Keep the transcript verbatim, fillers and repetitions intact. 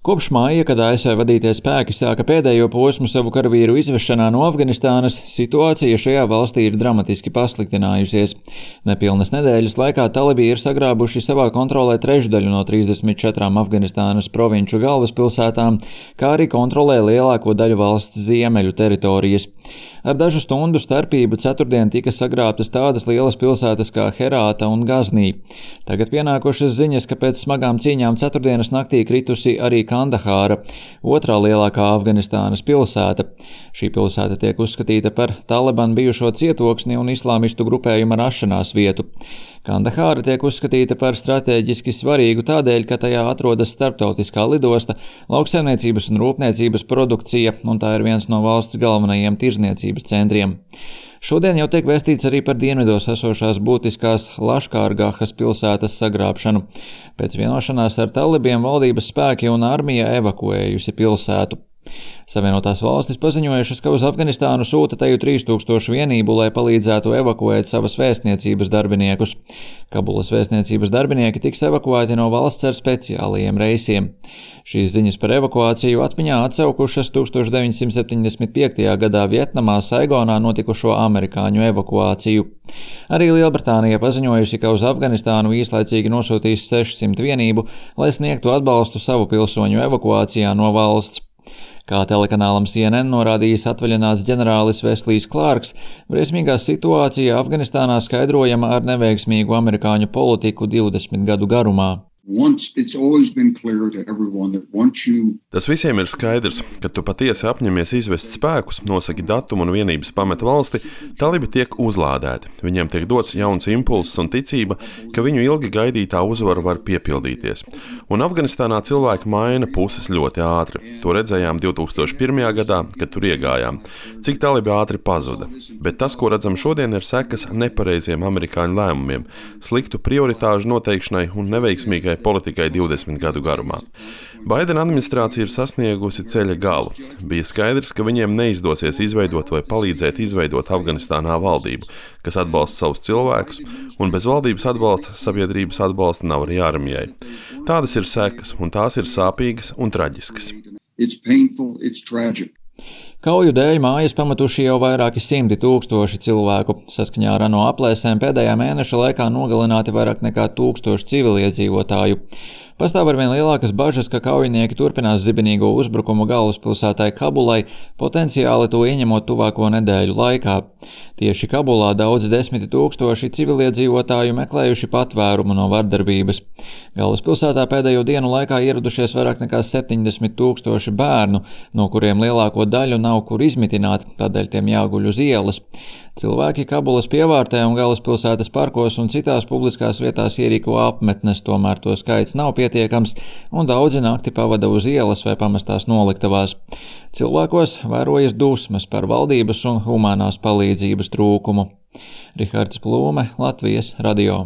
Kopš māja, kad A S V vadītie spēki sāka pēdējo posmu savu karavīru izvešanā no Afganistānas, situācija šajā valstī ir dramatiski pasliktinājusies. Nepilnas nedēļas laikā talibi ir sagrābuši savā kontrolē trešdaļu no trīsdesmit četrām Afganistānas provinču galvaspilsētām, kā arī kontrolē lielāko daļu valsts ziemeļu teritorijas. Ar dažu stundu starpību ceturtdien tika sagrābtas tādas lielas pilsētas kā Herāta un Gaznī. Tagad pienākušas ziņas, ka pēc smagām cīņām ceturtdienas naktī kritusi arī Kandahāra, otrā lielākā Afganistānas pilsēta. Šī pilsēta tiek uzskatīta par Taliban bijušo cietoksni un islāmistu grupējumu rašanās vietu. Kandahāra tiek uzskatīta par stratēģiski svarīgu tādēļ, ka tajā atrodas starptautiskā lidosta, lauksaimniecības un rūpniecības produkcija, un tā ir viens no valsts galvenajiem tirzniecības centriem. Šodien jau tiek vēstīts arī par dienvidos esošās būtiskās Laškārgahas pilsētas sagrābšanu. Pēc vienošanās ar talibiem valdības spēki un armija evakuējusi pilsētu. Savienotās valstis paziņojušas, ka uz Afganistānu sūta teju trīs tūkstoši vienību, lai palīdzētu evakuēt savas vēstniecības darbiniekus. Kabulas vēstniecības darbinieki tiks evakuēti no valsts ar speciālajiem reisiem. Šīs ziņas par evakuāciju atmiņā atsaukušas tūkstoš deviņsimt septiņdesmit piektajā gadā Vietnamā Saigonā notikušo amerikāņu evakuāciju. Arī Lielbritānija paziņojusi, ka uz Afganistānu īslaicīgi nosūtīs sešsimt vienību, lai sniegtu atbalstu savu pilsoņu evakuācijā no valsts. Kā telekanālam C N N norādījis atvaļināts ģenerālis Veslijs Klārks, briesmīgā situācija Afganistānā skaidrojama ar neveiksmīgu amerikāņu politiku divdesmit gadu garumā. Tas visiem ir skaidrs, ka tu patiesi apņemies izvest spēkus, nosaki datumu un vienības pameta valsti, talibi tiek uzlādēti. Viņiem tiek dots jauns impulss un ticība, ka viņu ilgi gaidītā uzvara var piepildīties. Un Afganistānā cilvēki maina puses ļoti ātri. To redzējām divi tūkstoši pirmajā gadā, kad tur iegājām. Cik talibi ātri pazuda. Bet tas, ko redzam šodien, ir sekas nepareiziem amerikāņu lēmumiem, sliktu prioritāžu noteikšanai un neveiksmīgai politikai divdesmit gadu garumā. Baidena administrācija ir sasniegusi ceļa galu. Bija skaidrs, ka viņiem neizdosies izveidot vai palīdzēt izveidot Afganistānā valdību, kas atbalsta savus cilvēkus, un bez valdības atbalsta sabiedrības atbalsta nav arī armijai. Tādas ir sekas, un tās ir sāpīgas un traģiskas. It's painful, it's tragic. Kauju dēļ mājas pamatuši jau vairāki simti tūkstoši cilvēku. Saskaņā ar ANO aplēsēm pēdējā mēneša laikā nogalināti vairāk nekā tūkstoši civiliedzīvotāju. Pastāv arvien lielākas bažas, ka kaujinieki turpinās zibenīgo uzbrukumu galvaspilsētai Kabulai, potenciāli to ieņemot tuvāko nedēļu laikā. Tieši Kabulā daudzi desmiti tūkstoši civiliedzīvotāju meklējuši patvērumu no vardarbības. Galvaspilsētā pēdējo dienu laikā ieradušies vairāk nekā septiņdesmit tūkstoši bērnu, no kuriem lielāko daļu nav kur izmitināt, tādēļ tiem jāguļ uz ielas. Cilvēki Kabulas pievārtē un galvaspilsētas parkos un citās publiskās vietās ierīko apmetnes, tomēr to skaits nav pietiekams, un daudzi nakti pavada uz ielas vai pamestās noliktavās. Cilvēkos vērojas dusmas par valdības un humānās palīdzības trūkumu. Rihards Plūme, Latvijas radio.